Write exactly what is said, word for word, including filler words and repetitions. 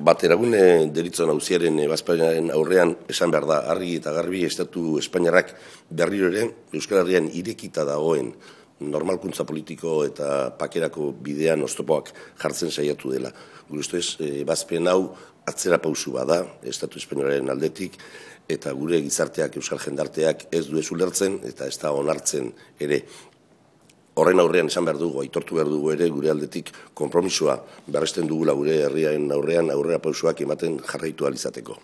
Bateragune deritzon auziaren ebazpenaren aurrean esan behar da, argi eta garbi estatu Espainiarrak berriro ere Euskal Herrian irekita dagoen normalkuntza politiko eta pakerako bidean oztopoak jartzen saiatu dela. Gure ustez, ebazpen hau atzera pausu bada estatu Espainiarraren aldetik, eta gure gizarteak, euskal jendarteak ez du ez ulertzen eta ez da onartzen ere. Horren aurrean esan behar dugu, aitortu behar dugu ere gure aldetik konpromisoa berresten dugula gure herriaren aurrean aurrera pausoak ematen jarraitu ahal izateko.